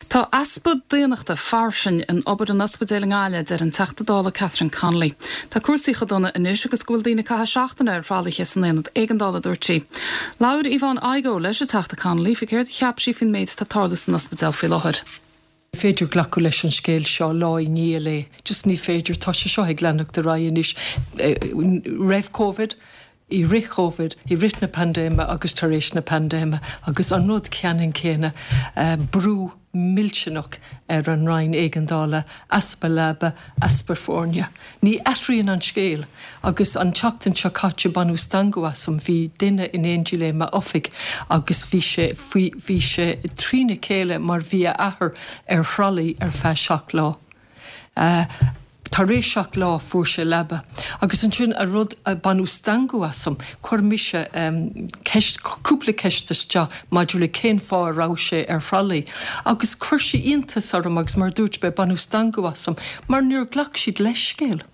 Tá easpa daonnachta fairsing in obair an ospidéil i nGaillimh, a deir an Teachta Dála Catherine Connolly. Tá cúrsaí chomh dona anois agus go bhfuil daoine ag caitheamh seachtaine ar thralaithe san aonad éigeandála, a dúirt sí. Labhair Yvonne Igoe leis an Teachta Connolly faoi céard a cheap sí faoin méid atá ag tarlú san ospidéal faoi láthair. Ní féidir glacadh leis an scéal seo lá i ndiaidh lae. Just ní féidir. Tá sé seo ag leanacht ar aghaidh anois. Roimh Covid, i rith Covid, i rith na paindéime agus tar éis na paindéime agus an rud ceannann céanna, brú millteanach ar an Roinn Éigeandála, easpa leaba, easpa foirne. Ní athraíonn an scéal agus an tseachtain seo caite baineadh stangadh asam, bhí duine in éindí léi i m'oifig agus bhí sé faoi, bhí sé trína chéile mar bhí a athair ar thralaí ar feadh seacht lá. Tar éis 7 lá fuair sé leaba. Agus ansin an rud a baineadh stangadh asam, chuir mise ceist, cúpla ceist isteach maidir le cén fáth a raibh sé ar thralaí. Agus chuir sé iontas orm agus mar a dúirt mé, baineadh stangadh asam mar níor ghlac siad leithscéal.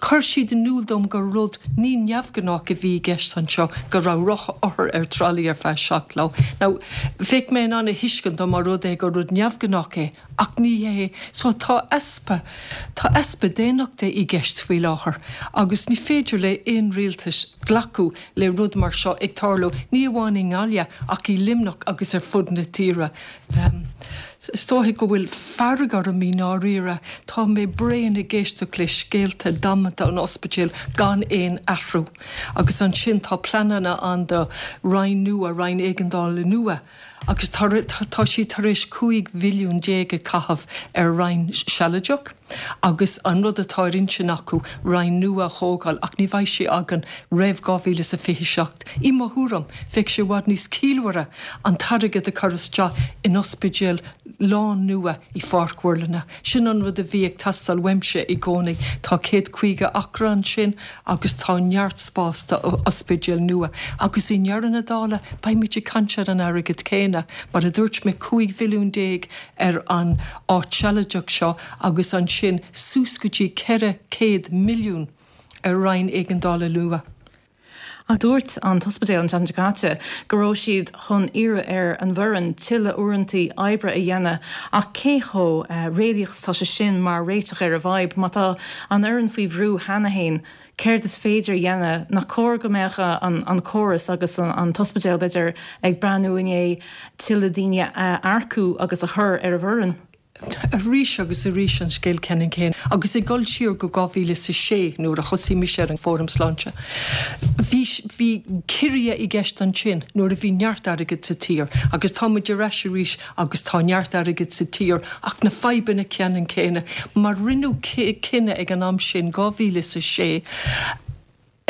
Chuir siad in iúl dom gur rud ní neamhghnách a bhí i gceist anseo, go raibh othar ar tralaí ar feadh 7 lá. Now, bheadh mé in ann a thuiscint dá mba rud é gur rud neamhghnách é, ach ní hé. So tá easpa, tá easpa daonnachta i gceist faoi láthair agus ní féidir le aon rialtas glacadh le rud mar seo ag tarlú, ní amháin i nGaillimh ach i Luimneach agus ar fud na tíre. Is dóiche go bhfuil fearg orm i ndáiríre. Tá mé bréan ag éisteacht le scéalta damanta an ospidéil gan aon athrú. Agus ansin tá pleananna ann do roinn nua, roinn éigeandála nua, agus tá siad tar éis 15 mhilliún a chaitheamh ar roinn sealadach agus an rud atá ar intinn acu roinn nua a thógáil ach ní bheidh sé againn roimh 2027. I mo thuairim, bheadh sé i bhfad níos ciallmhaire an t-airgead a chur isteach in ospidéal lán-nua i Pháirc Mhuirlinne. Sin an rud a bhí ag teastáil uaimse i gcónaí. Tá 150 acra ansin agus tá neart spás do ospidéal nua. Agus i ndeireadh na dála, beimid ag caint ar an airgead céanna. Mar a dúirt mé, 15 mhilliún ar an áit sealadach seo agus ansin suas go dtí 400 milliún ar roinn éigeandála nua. Ach dúirt an t-ospidéal an tseachtain seo caite go raibh siad chun iarraidh ar an bhfoireann tuilleadh uaireanta oibre a dhéanamh ach cé chomh réalaíoch is atá sé sin mar réiteach ar an bhfadhb? Má tá an fhoireann faoi bhrú cheana féin, céard is féidir a dhéanamh? Nach cóir go mbeadh an córas agus an t-ospidéal, b'fhéidir, ag breathnú i ndiaidh tuilleadh daoine a earcú agus a chur ar an bhfoireann? Arís agus arís an scéal ceannann céanna. Agus ag dul siar go 2006 nuair a thosaigh mise ar an Fóram Sláinte, bhí, bhí ciorruithe i gceist ansin nuair a bhí neart airgid sa tír agus tá muid ar ais arís agus tá neart airgid sa tír ach na fadhbanna ceannann céanna mar rinneadh cinneadh ag an am sin, 2006,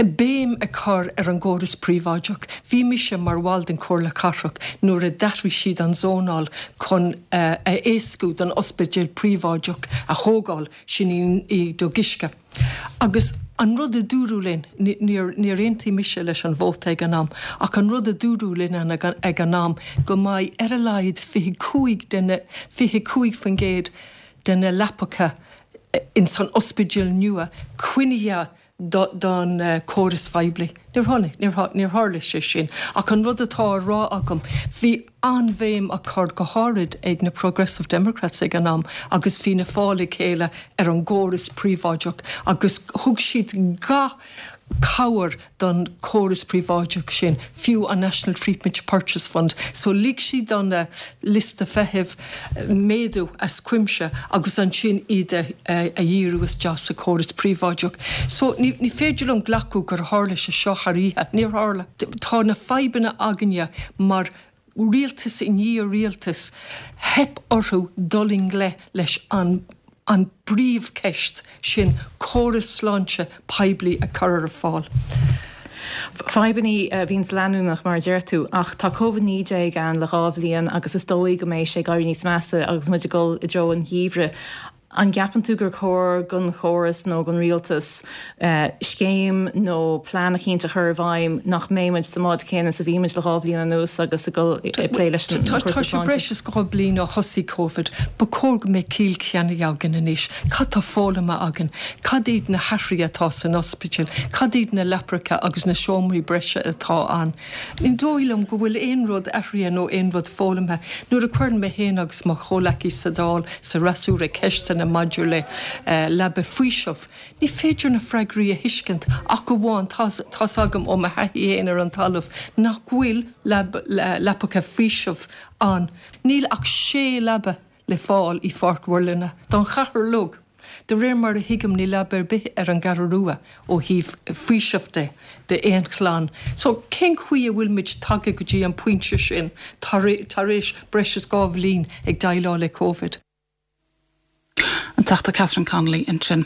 béim a chur ar an gcóras príobháideach. Bhí mise mar bhall den Chomhairle Cathrach nuair a d'athraigh siad an zónáil chun a éascú don ospidéal príobháideach a thógáil, sin i dTigh Uisce. Agus an rud a dúradh linn, níor aontaigh mise leis an vóta ag an am, ach an rud a dúradh linn ag an am go mbeidh ar a laghad 25 de na, 25% de na leapacha ins an ospidéal nua coinnithe don chóras phoiblí. Níor tháinig, níor tharla sé sin. Ach an rud atá á rá agam, bhí an-bhéim á cur, go háirid ag na Progressive Democrats ag an am agus Fianna Fáil le chéile, ar an gcóras príobháideach agus thug siad gach cabhair don chóras príobháideach sin, fiú an National Treatment Purchase Fund. So lig siad do na liostaí feithimh méadú as cuimse agus ansin iad a dhíriú isteach sa chóras príobháideach. So ní féidir liom glacadh gur tharla sé seo thar oíche. Níor tharla. Tá na fadhbanna againne mar rialtas i ndiaidh rialtais, theip orthu dul i ngleic leis an an bpríomhcheist sin, córas sláinte poiblí a chur ar fáil. Fadhbanna a bhíonns leanúnach, mar a deir tú, ach tá Covid-19 ann le 2 bhliain agus is dóigh go mbeidh sé ag éirí níos measa agus muid ag dul i dtreo an gheimhridh. An gceapann tú gur chóir don chóras nó don rialtas scéim nó plean eicínt a chur i bhfeidhm nach mbeidh muid sa mbád céanna is a bhí muid le 2 bhliain anuas agus ag dul ag plé leis an Tá cúrsa sé sláinte? breis is 2 bliain ó thosaigh Covid. Ba chóir go mbeadh ciall ceannaithe againn anois. Cad tá foghlamtha againn? Cad iad na hathruithe atá san ospidéal? Cad iad na leapacha agus na seomraí breise atá ann? Ní dóigh liom go bhfuil aon rud athraithe nó aon rud foghlamtha. Nuair a chuireann mé féin agus mo chomhleacaí sa Dáil, sa fhreasúra ceisteanna maidir le leaba faoisimh, ní féidir na freagraí a thuiscint ach amháin tá's agam ó mo thaithí féin ar an talamh nach bhfuil leapacha faoisimh ann. Níl ach sé leaba le fáil i Pháirc Mhuirlinne don chathair uilig. De réir mar a thuigim níl leaba ar bith ar an gCeathrú Rua ó thaobh faoiseamh de d'aon chlann. So cén chaoi a bhfuil muid tagtha go dtí an pointe sin tar éis breis is 2 bhliain ag déileáil le Covid? An Teachta Catherine Connolly ansin.